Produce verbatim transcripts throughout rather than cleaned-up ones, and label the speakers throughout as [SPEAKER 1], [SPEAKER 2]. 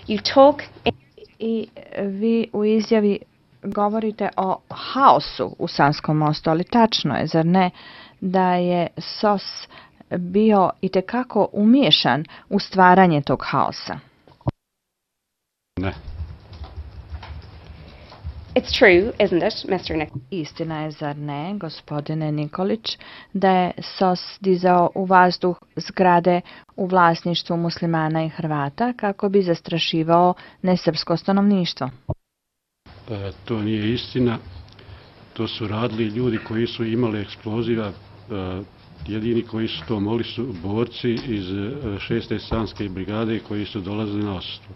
[SPEAKER 1] You talk in...
[SPEAKER 2] I vi u izjavi govorite o haosu u Sanskom mostu, ali tačno je, zar ne, da je S O S bio itekako umiješan u stvaranje tog haosa?
[SPEAKER 3] Ne.
[SPEAKER 1] It's true, isn't it, mister Nick?
[SPEAKER 2] Istina je, zar ne, gospodine Nikolić, da je S O S dizao u vazduh zgrade u vlasništvu muslimana i Hrvata kako bi zastrašivao nesrpsko stanovništvo?
[SPEAKER 3] E, to nije istina. To su radili ljudi koji su imali eksploziva. E, jedini koji su to mogli su borci iz šeste Sanske brigade koji su dolazili na odsustvo.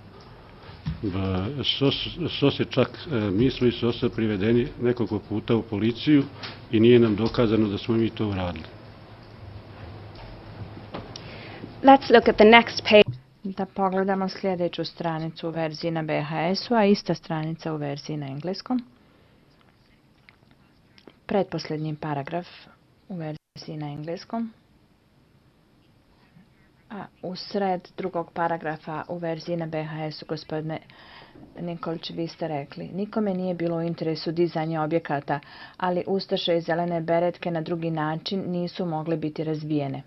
[SPEAKER 3] S O S je čak, mi smo iz S O S-a privedeni nekoliko puta u policiju i nije nam dokazano da smo mi to uradili.
[SPEAKER 1] Let's look at the next page.
[SPEAKER 2] Da pogledamo sljedeću stranicu u verziji na B H S-u, a ista stranica u verziji na engleskom. Pretposljednji paragraf u verziji na engleskom. A u sred drugog paragrafa u verziji na B H S-u, gospodine Nikolić, vi ste rekli: nikome nije bilo u interesu dizanja objekata, ali ustaše i zelene beretke na drugi način nisu mogle biti razbijene.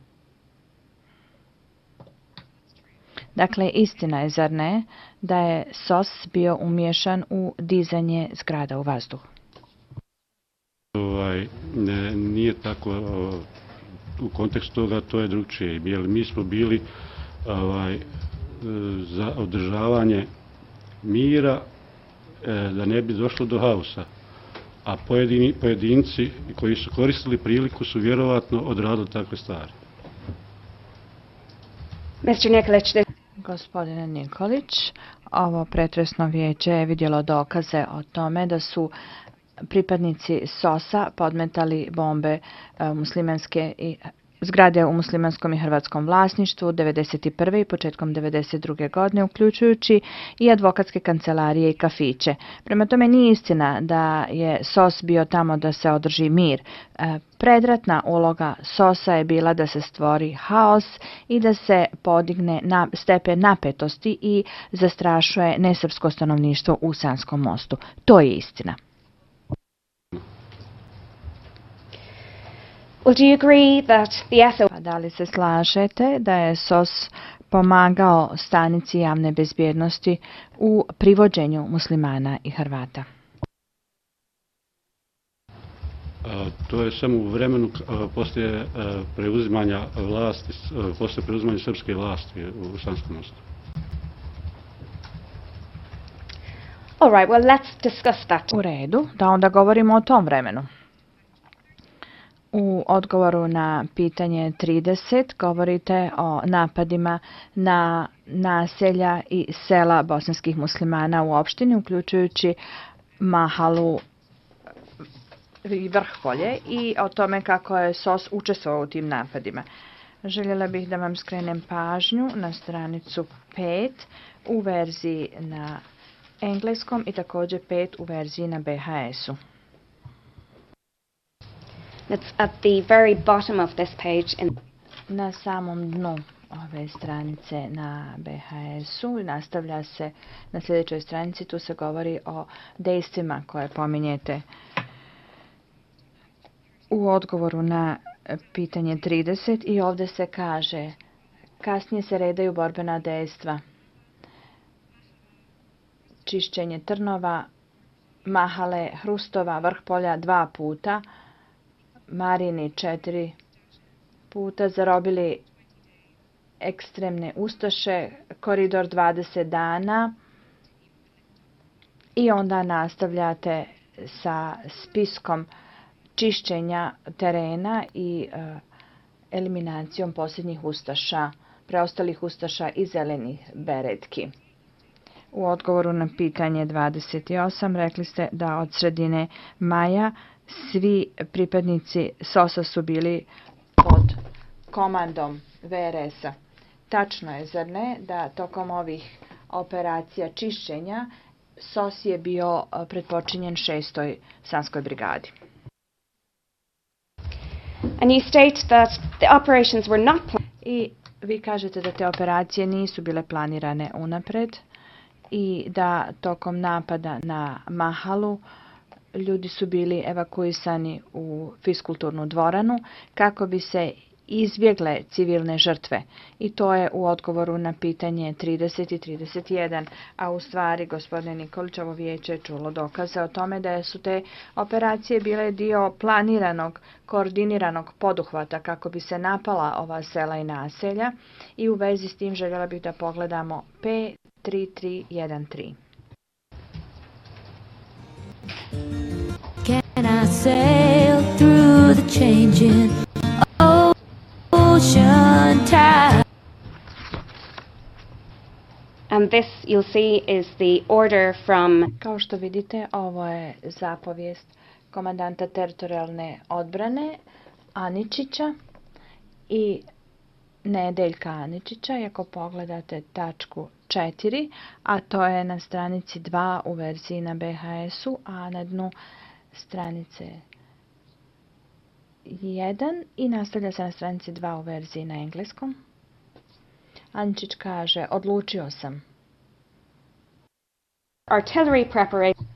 [SPEAKER 2] Dakle, istina je, zar ne, da je S O S bio umiješan u dizanje zgrada u vazduh?
[SPEAKER 3] Ovaj, ne, nije tako. U kontekstu toga to je drugčije. Mi smo bili ovaj, za održavanje mira, da ne bi došlo do haosa. A pojedini, pojedinci koji su koristili priliku su vjerovatno odradili takve stvari.
[SPEAKER 1] mister Nikolić,
[SPEAKER 2] Gospodine Nikolić, ovo pretresno vijeće je vidjelo dokaze o tome da su pripadnici S O S-a podmetali bombe muslimanske i zgrade u muslimanskom i hrvatskom vlasništvu devedeset prve i početkom devedeset druge godine, uključujući i advokatske kancelarije i kafiće. Prema tome nije istina da je S O S bio tamo da se održi mir. Predratna uloga S O S-a je bila da se stvori haos i da se podigne na stepen napetosti i zastrašuje nesrpsko stanovništvo u Sanskom mostu. To je istina.
[SPEAKER 1] Well, do you agree that the S O S...
[SPEAKER 2] Da li se slažete da je S O S pomagao stanici javne bezbjednosti u privođenju muslimana i Hrvata?
[SPEAKER 3] A, to je samo u vremenu a, poslije a, preuzimanja vlasti, a, poslije preuzimanja srpske vlasti u Sanskom mostu.
[SPEAKER 1] All right, well, let's discuss that.
[SPEAKER 2] U redu, da onda govorimo o tom vremenu. U odgovoru na pitanje trideset govorite o napadima na naselja i sela bosanskih muslimana u opštini, uključujući Mahalu i Vrhpolje, i o tome kako je S O S učestvovao u tim napadima. Željela bih da vam skrenem pažnju na stranicu pet u verziji na engleskom i također pet u verziji na B H S-u.
[SPEAKER 1] It's at the very bottom of this page. In...
[SPEAKER 2] Na samom dnu ove stranice na B H S-u nastavlja se na sljedećoj stranici, tu se govori o dejstvima koje pominjete. U odgovoru na pitanje trideset i ovdje se kaže: kasnije se redaju borbena dejstva. Čišćenje Trnova, Mahale, Hrustova, Vrhpolja dva puta, Marini četiri puta, zarobili ekstremne ustaše, koridor dvadeset dana, i onda nastavljate sa spiskom čišćenja terena i e, eliminacijom posljednjih ustaša, preostalih ustaša i zelenih beretki. U odgovoru na pitanje dvadeset osam rekli ste da od sredine maja svi pripadnici S O S-a su bili pod komandom V R S-a. Tačno je, zar ne, da tokom ovih operacija čišćenja S O S je bio pretpočinjen šestoj Sanskoj brigadi.
[SPEAKER 1] And you state that the operations were not planned.
[SPEAKER 2] I vi kažete da te operacije nisu bile planirane unapred i da tokom napada na Mahalu ljudi su bili evakuisani u fiskulturnu dvoranu kako bi se izbjegle civilne žrtve. I to je u odgovoru na pitanje trideset i trideset jedan. A u stvari, gospodine Nikolić, ovo vijeće je čulo dokaze o tome da su te operacije bile dio planiranog, koordiniranog poduhvata kako bi se napala ova sela i naselja. I u vezi s tim željela bih da pogledamo P tri tri jedan tri.
[SPEAKER 4] Can I sail through the changing ocean tide?
[SPEAKER 1] And this, you'll see, is the order from...
[SPEAKER 2] Kao što vidite, ovo je zapovijest komandanta teritorijalne odbrane Aničića i Nedeljka Aničića. I ako pogledate tačku četiri, a to je na stranici dva u verziji na B H S-u, a na dnu stranice jedan i nastavlja se na stranici dva u verziji na engleskom. Aničić kaže, odlučio sam.
[SPEAKER 1] Artillery preparation.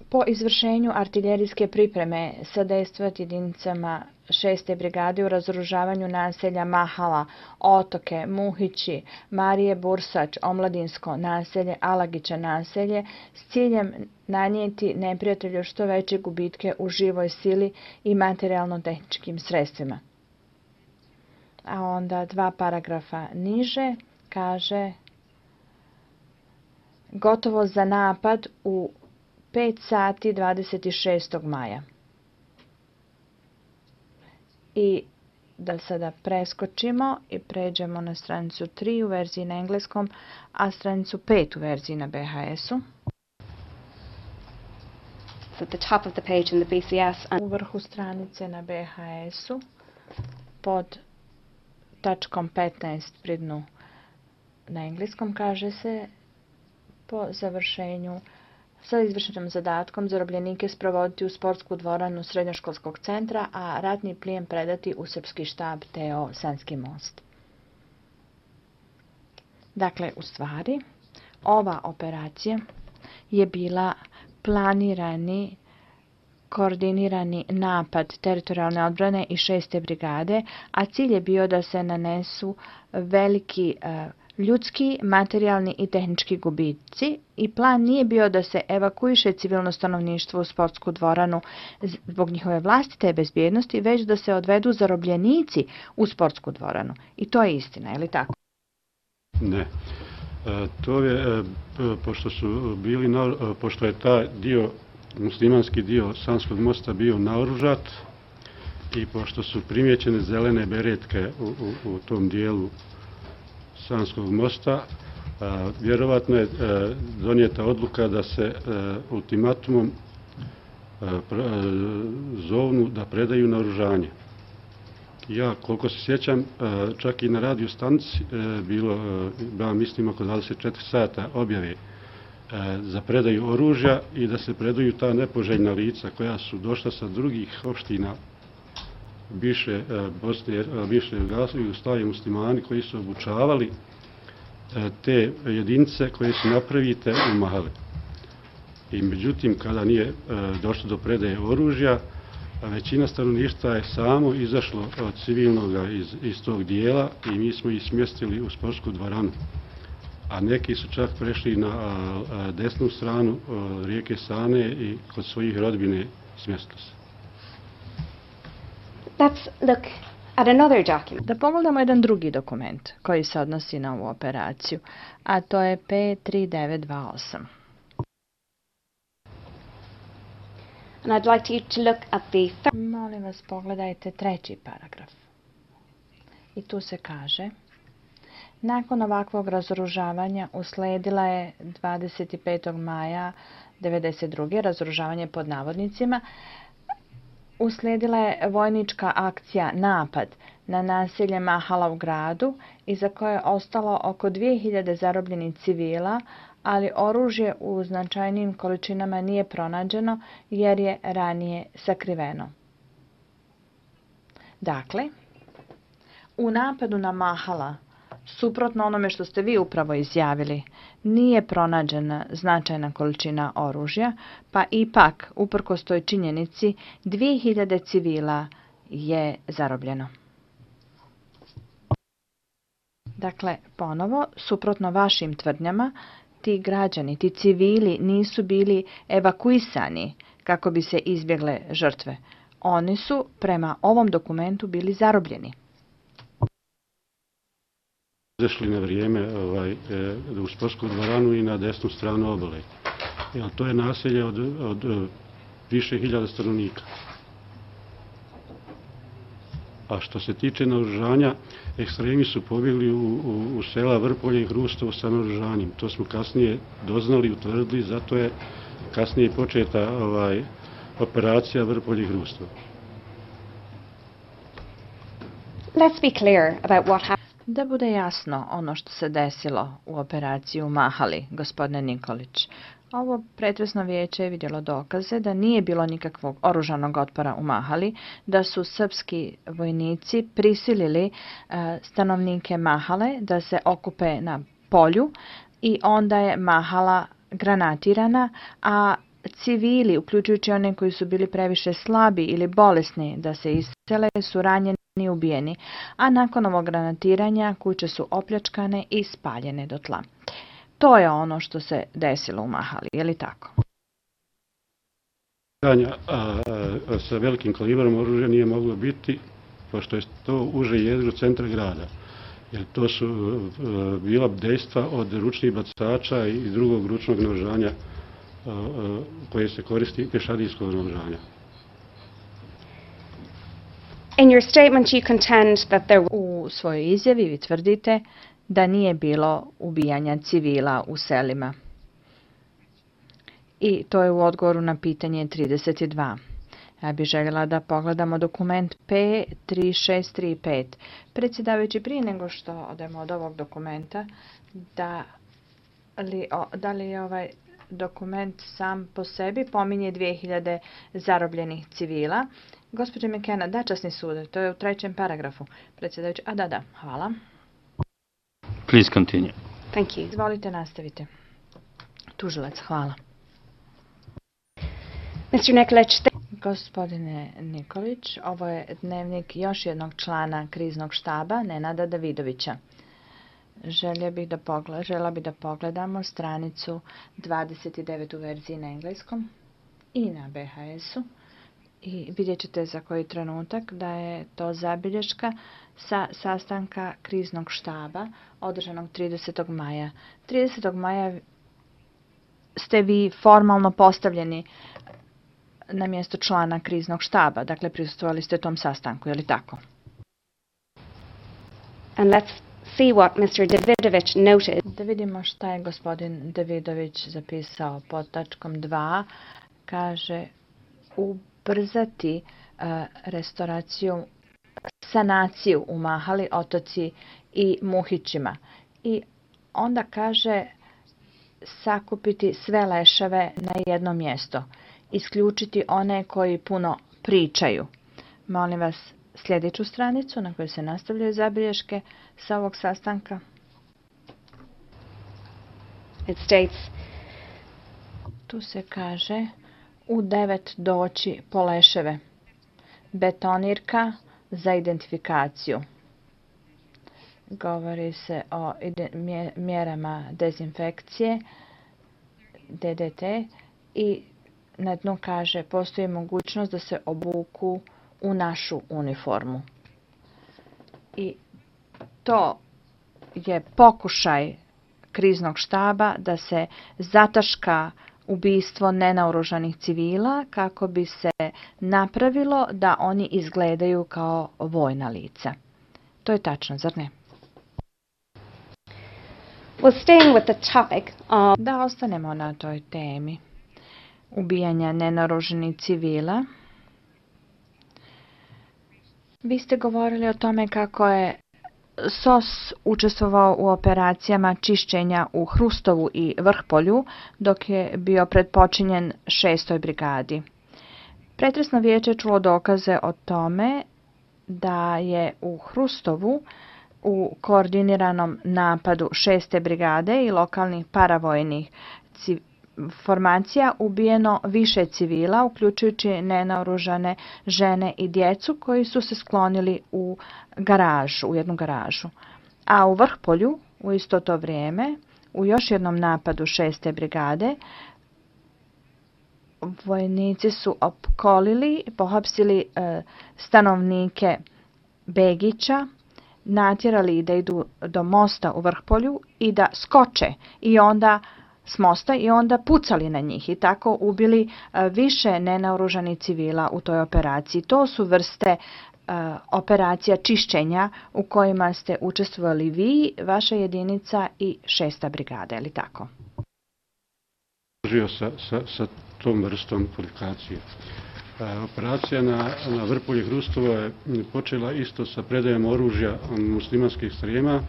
[SPEAKER 2] Po izvršenju artiljerijske pripreme sadejstvovati jedinicama šeste brigade u razoružavanju naselja Mahala, Otoke, Muhići, Marije Bursač, Omladinsko naselje, Alagića naselje s ciljem nanijeti neprijatelju što veće gubitke u živoj sili i materijalno-tehničkim sredstvima. A onda dva paragrafa niže kaže gotovo za napad u pet sati dvadeset šestog maja. I da sada preskočimo i pređemo na stranicu tri u verziji na engleskom, a stranicu pet u verziji na B H S-u.
[SPEAKER 1] At the top of the page in the B C S. And
[SPEAKER 2] u vrhu stranice na B H S-u pod tačkom petnaest pri dnu na engleskom kaže se po završenju sa izvršenim zadatkom zarobljenike sprovoditi u sportsku dvoranu srednjoškolskog centra, a ratni plijen predati u srpski štab T O Sanski most. Dakle, u stvari, ova operacija je bila planirani, koordinirani napad teritorijalne odbrane i šeste brigade, a cilj je bio da se nanesu veliki uh, ljudski, materijalni i tehnički gubici i plan nije bio da se evakuiše civilno stanovništvo u sportsku dvoranu zbog njihove vlastite bezbjednosti, već da se odvedu zarobljenici u sportsku dvoranu. I to je istina, je li tako?
[SPEAKER 3] Ne. E, to je, e, pošto su bili, na, pošto je taj dio, muslimanski dio Sanskog mosta bio naoružat i pošto su primjećene zelene beretke u, u, u tom dijelu Sanskog mosta, a, vjerovatno je a, donijeta odluka da se a, ultimatumom a, pra, a, zovnu da predaju naoružanje. Ja, koliko se sjećam, a, čak i na radio stanici a, bilo, a, mislim, oko dvadeset četiri sata objave a, za predaju oružja i da se predaju ta nepoželjna lica koja su došla sa drugih opština bivše Bosne, bivše Jugoslavije muslimani koji su obučavali te jedinice koje su napravite u Mahali. I međutim, kada nije došlo do predaje oružja, većina stanovništva je samo izašlo od civilnog iz, iz tog dijela i mi smo ih smjestili u sportsku dvoranu. A neki su čak prešli na desnu stranu rijeke Sane i kod svojih rodbine smjestili se.
[SPEAKER 1] let's look at another document.
[SPEAKER 2] Da pogledamo jedan drugi dokument koji se odnosi na ovu operaciju, a to je P tri devet dva osam.
[SPEAKER 1] And I'd like you to look at the third.
[SPEAKER 2] Molim vas, pogledajte treći paragraf. I tu se kaže: nakon ovakvog razoružavanja usledila je dvadeset petog maja devedeset druge razoružavanje pod navodnicima. Usledila je vojnička akcija napad na naselje Mahala u gradu, iza koje je ostalo oko dvije hiljade zarobljenih civila, ali oružje u značajnim količinama nije pronađeno jer je ranije sakriveno. Dakle, u napadu na Mahala Suprotno onome što ste vi upravo izjavili, nije pronađena značajna količina oružja, pa ipak, uprkos toj činjenici, dvije hiljade civila je zarobljeno. Dakle, ponovo, suprotno vašim tvrdnjama, ti građani, ti civili nisu bili evakuisani kako bi se izbjegle žrtve. Oni su prema ovom dokumentu bili zarobljeni.
[SPEAKER 3] Izašli na vrijeme ovaj, u sportsku dvoranu i na desnu stranu obale. Jer to je naselje od, od više hiljada stanovnika. A što se tiče naoružanja, ekstremi su pobjegli u, u, u sela Vrpolje i Hrustovo sa naoružanjem. To smo kasnije doznali i utvrdili, zato je kasnije početa ovaj, operacija Vrpolje i Hrustovo.
[SPEAKER 1] Let's be clear about what happened.
[SPEAKER 2] Da bude jasno ono što se desilo u operaciji u Mahali, gospodine Nikolić. Ovo pretresno vijeće je vidjelo dokaze da nije bilo nikakvog oružanog otpora u Mahali, da su srpski vojnici prisilili e, stanovnike Mahale da se okupe na polju i onda je Mahala granatirana, a civili, uključujući one koji su bili previše slabi ili bolesni da se isele, su ranjeni i ubijeni, a nakon ovog granatiranja kuće su opljačkane i spaljene do tla. To je ono što se desilo u Mahali, je li tako?
[SPEAKER 3] A, a, a, sa velikim kalibrom oružja nije moglo biti, pošto je to uže jedro centra grada. Jer to su a, bila dejstva od ručnih bacača i drugog ručnog naoružanja a, a, koje se koristi pješadijskog naoružanja.
[SPEAKER 1] In your statement you contend that there
[SPEAKER 2] U svojoj izjavi vi tvrdite da nije bilo ubijanja civila u selima. I to je u odgovoru na pitanje trideset dva. Ja bih željela da pogledamo dokument P tri šest tri pet. Predsjedavajući, prije nego što odemo od ovog dokumenta, da li, o, da li je ovaj dokument sam po sebi pominje dvije hiljade zarobljenih civila. Gospođe McKenna, da, časni sud, to je u trećem paragrafu. Predsjedavajući, a da, da, hvala.
[SPEAKER 5] Please continue.
[SPEAKER 1] Thank you.
[SPEAKER 2] Izvolite, nastavite. Tužilac, hvala.
[SPEAKER 1] mister Nikolić,
[SPEAKER 2] Gospodine Nikolić, ovo je dnevnik još jednog člana kriznog štaba, Nenada Davidovića. Želja bih da pogled, žela bih da pogledamo stranicu dvadeset devet u verziji na engleskom i na B H S-u. I vidjet ćete za koji trenutak da je to zabilješka sa sastanka kriznog štaba održanog tridesetog maja. tridesetog maja ste vi formalno postavljeni na mjesto člana kriznog štaba, dakle prisustvovali ste tom sastanku, je li tako?
[SPEAKER 1] and let's see what mister Davidovich noted.
[SPEAKER 2] Da vidimo šta je gospodin Davidović zapisao pod tačkom dva. Kaže ubrzati uh, restauraciju, sanaciju u Mahali, Otoci i Muhićima. I onda kaže sakupiti sve leševe na jedno mjesto. Isključiti one koji puno pričaju. Molim vas sljedeću stranicu na kojoj se nastavljaju zabilješke sa ovog sastanka.
[SPEAKER 1] It states,
[SPEAKER 2] Tu se kaže u devet doći po leševe. Betonirka za identifikaciju. Govori se o mjerama dezinfekcije, D D T, i na dnu kaže postoji mogućnost da se obuku u našu uniformu. I to je pokušaj kriznog štaba da se zataška ubistvo nenaoružanih civila kako bi se napravilo da oni izgledaju kao vojna lica. To je tačno, zar ne?
[SPEAKER 1] well, staying with the topic of
[SPEAKER 2] Da ostanemo na toj temi ubijanja nenaoružanih civila. Vi ste govorili o tome kako je S O S učestvovao u operacijama čišćenja u Hrustovu i Vrpolju dok je bio predpočinjen šestoj brigadi. Pretresno vijeće čulo dokaze o tome da je u Hrustovu u koordiniranom napadu šeste brigade i lokalnih paravojnih formacija ubijeno više civila, uključujući nenaoružane žene i djecu koji su se sklonili u garažu, u jednu garažu. A u Vrhpolju, u isto to vrijeme, u još jednom napadu šeste brigade, vojnici su opkolili, pohapsili e, stanovnike Begića, natjerali da idu do mosta u Vrhpolju i da skoče i onda s mosta i onda pucali na njih i tako ubili e, više nenaoružanih civila u toj operaciji. To su vrste e, operacija čišćenja u kojima ste učestvovali vi, vaša jedinica i šesta brigada, je li tako?
[SPEAKER 3] Sa, sa, sa tom vrstom kvalifikacije. Operacija na, na Vrpolje Hrustovo je počela isto sa predajom oružja muslimanskih ekstrema.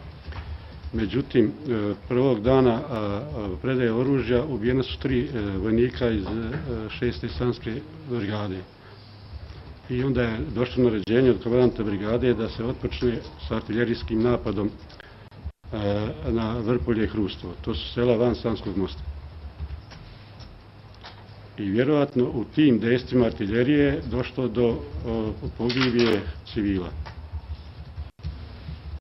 [SPEAKER 3] Međutim, prvog dana predaje oružja ubijena su tri vojnika iz šeste islamske brigade. I onda je došlo naređenje od komandanta brigade da se otpočne sa artiljerijskim napadom na Vrpolje Hrustovo. To su sela van Sanskog mosta. I vjerojatno u tim dejstvima artiljerije došlo do pogibije civila.